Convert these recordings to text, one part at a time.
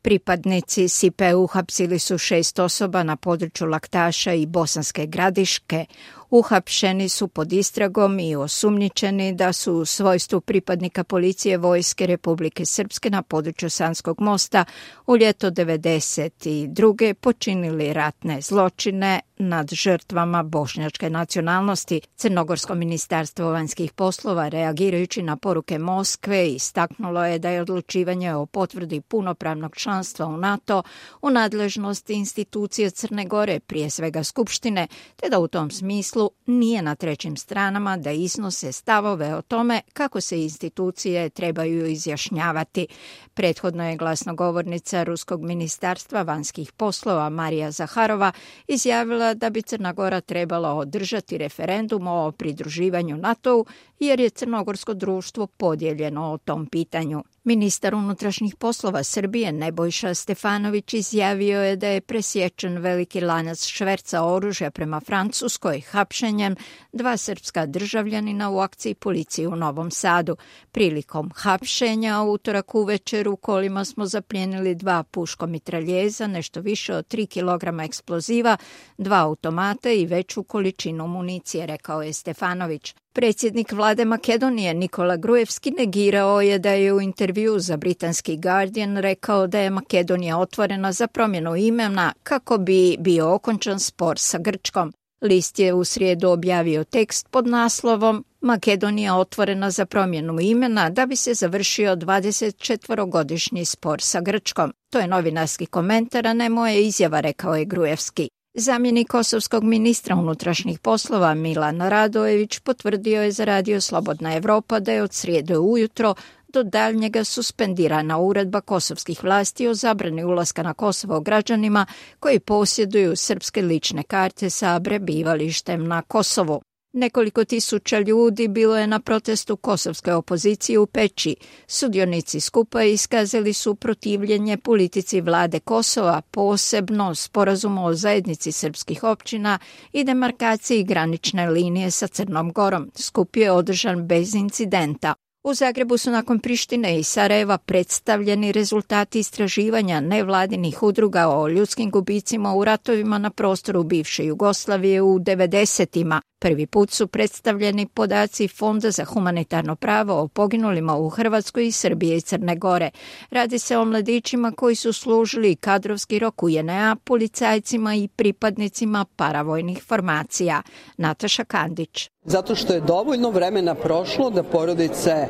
Pripadnici SIPE uhapsili su 6 osoba na području Laktaša i Bosanske Gradiške. Uhapšeni su pod istragom i osumnjičeni da su u svojstvu pripadnika policije Vojske Republike Srpske na području Sanskog mosta u ljeto 1992. počinili ratne zločine nad žrtvama bošnjačke nacionalnosti. Crnogorsko ministarstvo vanjskih poslova, reagirajući na poruke Moskve, istaknulo je da je odlučivanje o potvrdi punopravnog članstva u NATO u nadležnosti institucije Crne Gore, prije svega Skupštine, te da u tom smislu nije na trećim stranama da iznose stavove o tome kako se institucije trebaju izjašnjavati. Prethodno je glasnogovornica Ruskog ministarstva vanjskih poslova Marija Zaharova izjavila da bi Crna Gora trebala održati referendum o pridruživanju NATO-u jer je crnogorsko društvo podijeljeno o tom pitanju. Ministar unutrašnjih poslova Srbije Nebojša Stefanović izjavio je da je presječen veliki lanac šverca oružja prema Francuskoj hapšenjem 2 srpska državljanina u akciji policije u Novom Sadu. Prilikom hapšenja u utorak uvečer u kolima smo zapljenili 2 puškomitraljeza, nešto više od 3 kg eksploziva, 2 automata i veću količinu municije, rekao je Stefanović. Predsjednik vlade Makedonije Nikola Gruevski negirao je da je u intervjuu za britanski Guardian rekao da je Makedonija otvorena za promjenu imena kako bi bio okončan spor sa Grčkom. List je u srijedu objavio tekst pod naslovom Makedonija otvorena za promjenu imena da bi se završio 24-godišnji spor sa Grčkom. To je novinarski komentar, a ne moja izjava, rekao je Gruevski. Zamjenik kosovskog ministra unutrašnjih poslova Milan Radojević potvrdio je za Radio Slobodna Evropa da je od srijede ujutro do daljnjega suspendirana uredba kosovskih vlasti o zabrani ulaska na Kosovo građanima koji posjeduju srpske lične karte sa prebivalištem na Kosovu. Nekoliko tisuća ljudi bilo je na protestu kosovske opozicije u Peći. Sudionici skupa iskazali su protivljenje politici vlade Kosova, posebno sporazumu o zajednici srpskih općina i demarkaciji granične linije sa Crnom Gorom. Skup je održan bez incidenta. U Zagrebu su nakon Prištine i Sarajeva predstavljeni rezultati istraživanja nevladinih udruga o ljudskim gubicima u ratovima na prostoru bivše Jugoslavije u 90-ima. Prvi put su predstavljeni podaci Fonda za humanitarno pravo o poginulima u Hrvatskoj i Srbije i Crne Gore. Radi se o mladićima koji su služili kadrovski rok u JNA, policajcima i pripadnicima paravojnih formacija. Nataša Kandić. Zato što je dovoljno vremena prošlo da porodice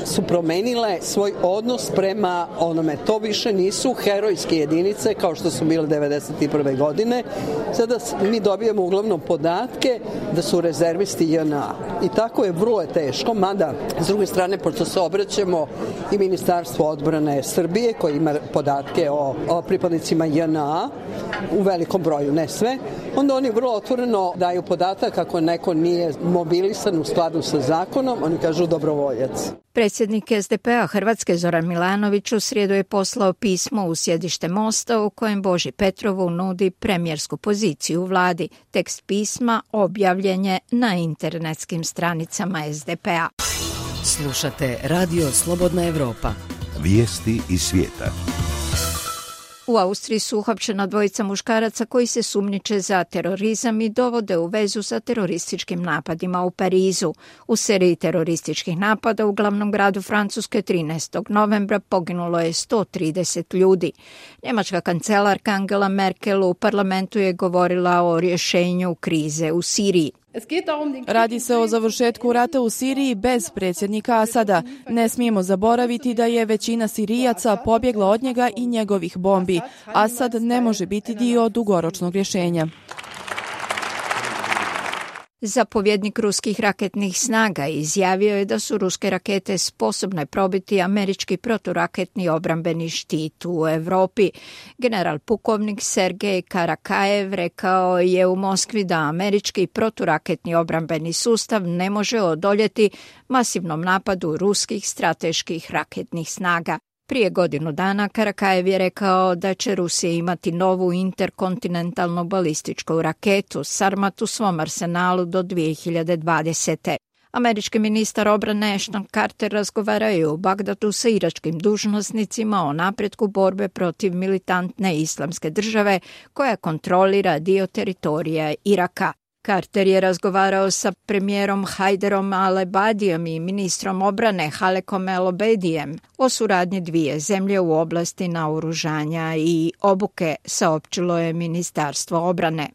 su promenile svoj odnos prema onome. To više nisu herojske jedinice kao što su bile 1991. godine. Sada mi dobijemo uglavnom podatke da su rezervisti JNA. I tako je vrlo teško, mada s druge strane, pošto se obraćamo i Ministarstvo odbrane Srbije koji ima podatke o pripadnicima JNA u velikom broju, ne sve, onda oni vrlo otvoreno daju podatak ako neko nije mobilisan u skladu sa zakonom, oni kažu dobrovoljac. Predsjednik SDP-a Hrvatske Zoran Milanović u srijedu je poslao pismo u sjedište Mosta u kojem Boži Petrovu nudi premijersku poziciju u vladi. Tekst pisma objavljen je na internetskim stranicama SDP-a. Slušate Radio Slobodna Evropa. Vijesti iz svijeta. U Austriji su uhapšena 2 muškaraca koji se sumnjiče za terorizam i dovode u vezu sa terorističkim napadima u Parizu. U seriji terorističkih napada u glavnom gradu Francuske 13. novembra poginulo je 130 ljudi. Njemačka kancelarka Angela Merkel u parlamentu je govorila o rješenju krize u Siriji. Radi se o završetku rata u Siriji bez predsjednika Asada. Ne smijemo zaboraviti da je većina Sirijaca pobjegla od njega i njegovih bombi. Asad ne može biti dio dugoročnog rješenja. Zapovjednik ruskih raketnih snaga izjavio je da su ruske rakete sposobne probiti američki proturaketni obrambeni štit u Europi. General pukovnik Sergej Karakajev rekao je u Moskvi da američki proturaketni obrambeni sustav ne može odoljeti masivnom napadu ruskih strateških raketnih snaga. Prije godinu dana Karakajev je rekao da će Rusija imati novu interkontinentalnu balističku raketu Sarmat u svom arsenalu do 2020. Američki ministar obrane Ashton Carter razgovarao je u Bagdadu sa iračkim dužnosnicima o napretku borbe protiv militantne islamske države koja kontrolira dio teritorija Iraka. Carter je razgovarao sa premijerom Hajderom al-Abadijem i ministrom obrane Halekom el-Obedijem o suradnji dvije zemlje u oblasti naoružanja i obuke, saopćilo je Ministarstvo obrane.